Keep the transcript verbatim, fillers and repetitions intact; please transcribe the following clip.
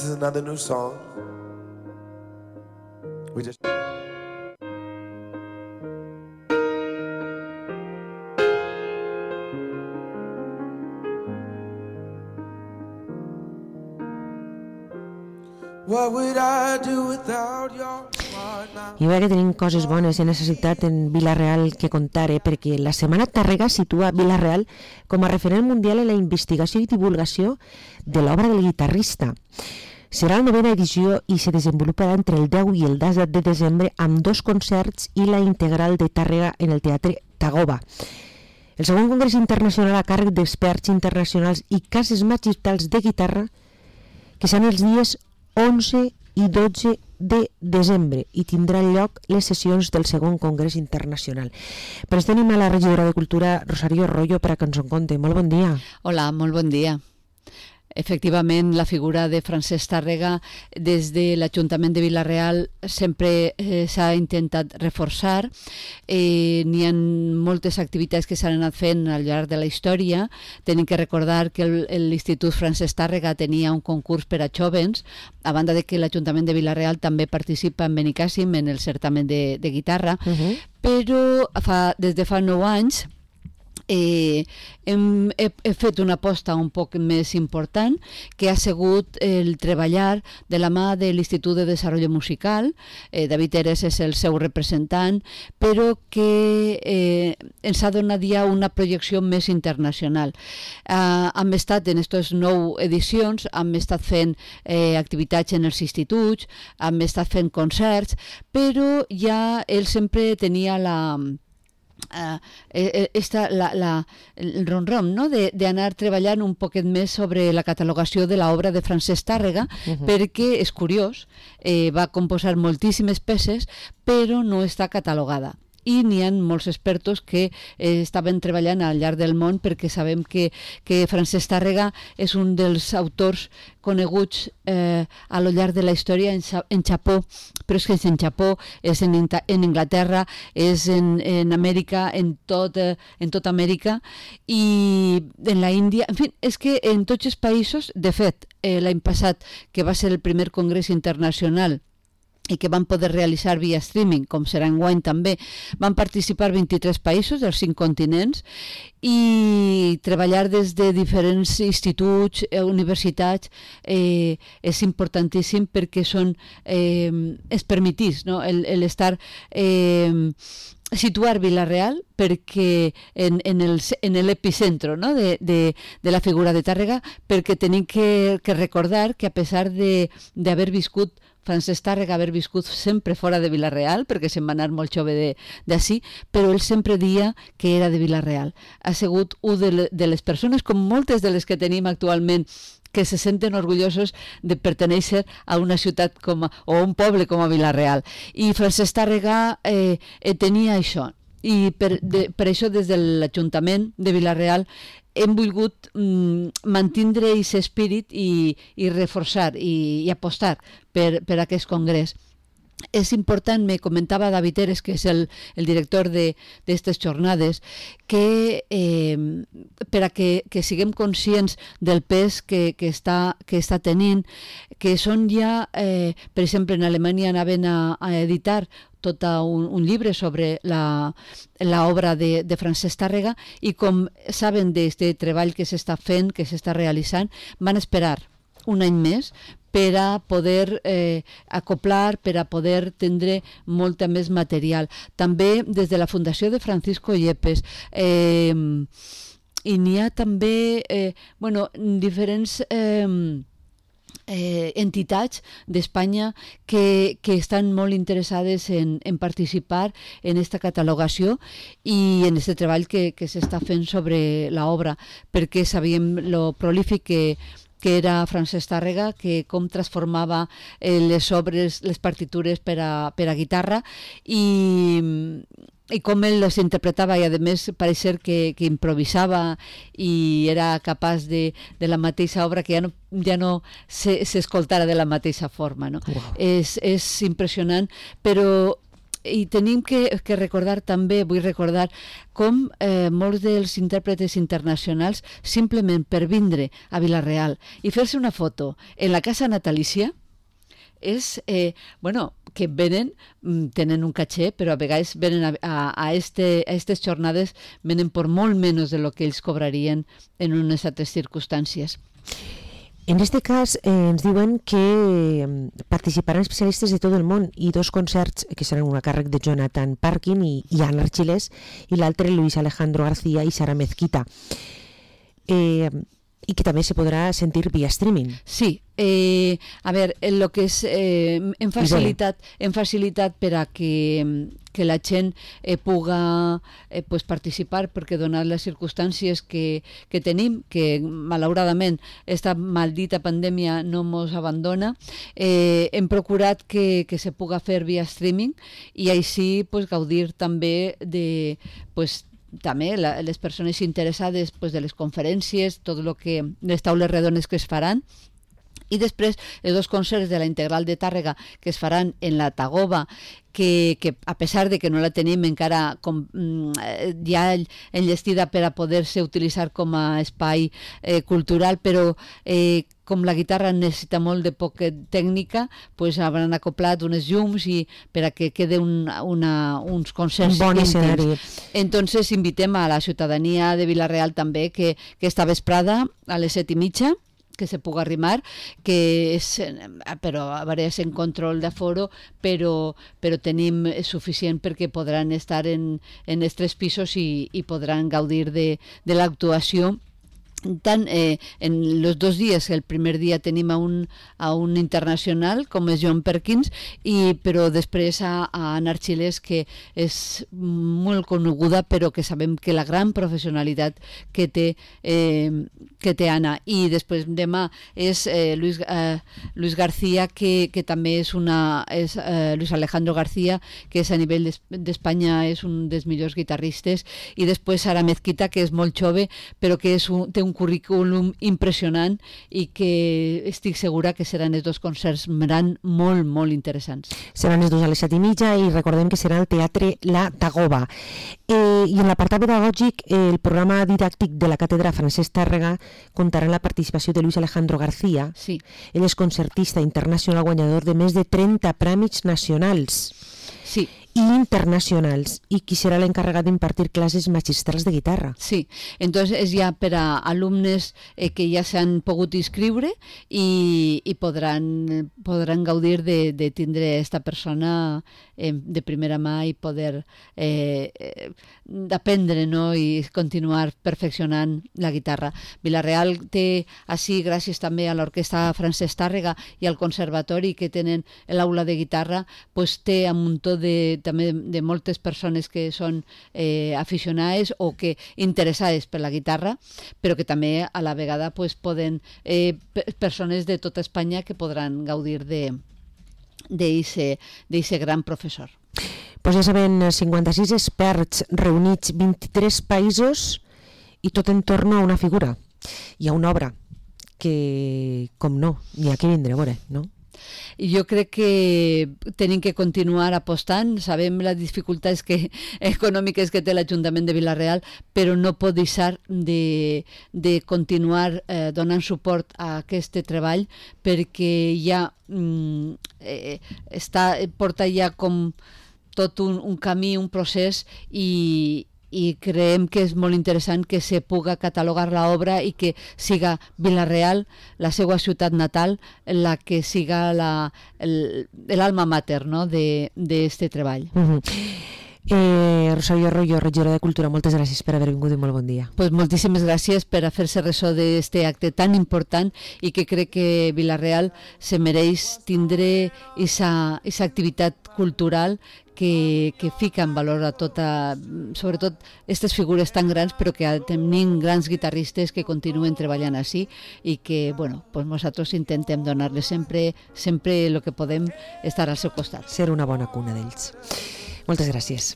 This is another new song. We just What would I do without your heart now? I veure que tenim coses bones. He necessitat en Vila-real que contar, eh? Perquè la Setmana Tàrrega situa Vila-real com a referent mundial en la investigació i divulgació de l'obra del guitarrista. Serà la novena edició i se desenvoluparà entre el deu i el disset de desembre amb dos concerts i la integral de Tàrrega en el Teatre Tagoba. El segon congrés internacional a càrrec d'experts internacionals i cases magistrals de guitarra que seran els dies onze i dotze de desembre i tindran lloc les sessions del segon congrés internacional. Per això tenim a la regidora de Cultura, Rosario Arroyo, per a que ens en conte. Molt bon dia. Hola, molt bon dia. Efectivament, la figura de Francesc Tàrrega des de l'Ajuntament de Vila-real sempre eh, s'ha intentat reforçar. Eh, n'hi ha moltes activitats que s'han anat fent al llarg de la història. Tenim que recordar que l'Institut Francesc Tàrrega tenia un concurs per a jovens, a banda de que l'Ajuntament de Vila-real també participa en Benicàssim en el certamen de, de guitarra, uh-huh. però fa, des de fa nou anys Eh, hem, he, he fet una aposta un poc més important que ha sigut el treballar de la mà de l'Institut de Desenvolupament Musical. eh, David Eres és el seu representant, però que eh, ens ha donat ja una projecció més internacional. eh, hem estat en aquestes nou edicions, hem estat fent eh, activitats en els instituts, hem estat fent concerts, però ja ell sempre tenia la Uh, esta, la, la, el ron-ron, no? d'anar treballant un poquet més sobre la catalogació de l'obra de Francesc Tàrrega, uh-huh. perquè és curiós, eh, va composar moltíssimes peces, però no està catalogada. I n'hi ha molts expertos que eh, estaven treballant al llarg del món, perquè sabem que, que Francesc Tàrrega és un dels autors coneguts eh, a lo llarg de la història en, en Japó, però és que és en Japó, és en, en Inglaterra, és en, en Amèrica, en tot, eh, en tota Amèrica i en la Índia, en fi, és que en tots els països, de fet, eh, l'any passat, que va ser el primer congrés internacional i que van poder realitzar via streaming, com serà enguany també, van participar vint-i-tres països dels cinc continents i treballar des de diferents instituts, eh, universitats, eh, és importantíssim perquè són, eh, es permetís, no? el, el estar... Eh, situar Vila-real perquè en, en, el, en l'epicentro, no? de, de, de la figura de Tàrrega, perquè tenim que, que recordar que a pesar d'haver viscut Francesc Tàrrega, haver viscut sempre fora de Vila-real, perquè se'n va anar molt jove d'ací, però ell sempre dia que era de Vila-real. Ha sigut un de, de les persones, com moltes de les que tenim actualment, que se senten orgullosos de pertenèixer a una ciutat com a, o a un poble com a Vila-real. I Francesc Tàrrega eh, eh, tenia això. I per, de, per això des de l'Ajuntament de Vila-real hem volgut mm, mantindre aquest espírit i, i reforçar i, i apostar per, per aquest congrés. És important, me comentava David Eres, que és el, el director d'aquestes jornades, que eh, per a que, que siguem conscients del pes que, que, està, que està tenint, que són ja, eh, per exemple, en Alemanya anaven a, a editar tot un, un llibre sobre l'obra de, de Francesc Tàrrega i com saben d'aquest treball que s'està fent, que s'està realitzant, van esperar un any més per a poder eh, acoplar, per a poder tindre molta més material. També des de la Fundació de Francisco Yepes eh, i n'hi ha també eh, bueno, diferents eh, eh, entitats d'Espanya que, que estan molt interessades en, en participar en aquesta catalogació i en aquest treball que, que s'està fent sobre l'obra, perquè sabíem lo prolífic que que era Francesc Tàrrega, que com transformava eh, les obres, les partitures per a, per a guitarra i, i com ell les interpretava i a més pareixer que, que improvisava i era capaç de, de la mateixa obra que ja no, ja no s'escoltara de la mateixa forma. No? Wow. És, és impressionant, però i tenim que, que recordar també, vull recordar com eh, molts dels intèrpretes internacionals simplement per vindre a Vila-real i fer-se una foto en la casa natalícia és, eh, bueno, que venen, tenen un caché, però a vegades venen a, a, a, este, a aquestes jornades venen per molt menys de lo que ells cobrarien en unes altres circumstàncies. En este cas eh, ens diuen que participaran especialistes de tot el món i dos concerts que seran un a càrrec de Jonathan Parkin i, i Ana Archilés i l'altre Luis Alejandro García i Sara Mezquita. Eh, i que també se podrà sentir via streaming. Sí, eh, a veure, el que és, eh, hem, facilitat, hem facilitat per a que, que la gent eh, puga eh, pues participar, perquè donat les circumstàncies que, que tenim, que malauradament esta maldita pandèmia no ens abandona, eh, hem procurat que, que se puga fer via streaming i així pues, gaudir també de... Pues, també la, les persones interessades pues, de les conferències, tot el que les taules redones que es faran, i després els dos concerts de la Integral de Tàrrega que es faran en la Tagoba, que, que a pesar de que no la tenim encara com, ja enllestida per a poder-se utilitzar com a espai eh, cultural, però eh, com la guitarra necessita molt de poca tècnica, pues hauran acoplat unes llums i per a que quede un, una, uns concerts un bon escenari. Entonces invitem a la ciutadania de Vila-real també que, que esta vesprada a les set i mitja que se puga arrimar, que és, però a veure, és en control d'aforo, però, però tenim suficient perquè podran estar en, en els tres pisos i, i podran gaudir de, de l'actuació. Tant eh, en els dos dies, el primer dia tenim a un, a un internacional com és John Perkins, i, però després a, a Ana Archilés, que és molt coneguda, però que sabem que la gran professionalitat que té, eh, que té Anna. I després demà és eh, Luis, eh, Luis García, que, que també és una... És, eh, Luis Alejandro García, que és a nivell d'Espanya és un dels millors guitarristes, i després Sara Mezquita, que és molt jove, però que és un, té un un currículum impressionant i que estic segura que seran els dos concerts seran molt, molt interessants. Seran els dos a les set i mitja i recordem que serà al Teatre La Tagoba. Eh, I en l'apartat pedagògic, eh, el programa didàctic de la Càtedra Francesc Tàrrega comptarà amb la participació de Luis Alejandro García. Sí. Ell és concertista internacional guanyador de més de trenta premis nacionals. Sí. I internacionals, i qui serà l'encarregat d'impartir classes magistrals de guitarra. Sí, entonces és ja per a alumnes eh, que ja s'han pogut inscriure i, i podran, podran gaudir de, de tindre esta persona eh, de primera mà i poder eh, eh, aprendre, no? I continuar perfeccionant la guitarra. Vila-real té així, gràcies també a l'Orquestra Francesc Tàrrega i al Conservatori que tenen l'aula de guitarra, pues té un muntó de també de moltes persones que són eh, aficionades o que interessades per la guitarra, però que també a la vegada pues, poden eh, persones de tota Espanya que podran gaudir de d'aquest gran professor. Pues ja saben, cinquanta-sis experts reunits, vint-i-tres països i tot en torno a una figura i a una obra que, com no, n'hi ha que vindre a veure, no? Jo crec que tenim que continuar apostant. Sabem les dificultats que, econòmiques que té l'Ajuntament de Vila-real, però no pot deixar de, de continuar eh, donant suport a aquest treball perquè ja mm, eh, està, porta ja com tot un, un camí, un procés i i creiem que és molt interessant que se puga catalogar l'obra i que siga Vila-real, la seva ciutat natal, la que siga l'alma mater, no? d'aquest treball. Uh-huh. eh, Rosario Arroyo, regidora de Cultura, moltes gràcies per haver vingut i molt bon dia. Pues moltíssimes gràcies per a fer-se ressò d'aquest acte tan important i que crec que Vila-real se mereix tindre aquesta activitat cultural que, que fica en valor a tota, sobretot aquestes figures tan grans, però que tenim grans guitarristes que continuen treballant així i que, bueno, pues nosaltres intentem donar-les sempre, sempre el que podem estar al seu costat. Ser una bona cuna d'ells. Moltes gràcies.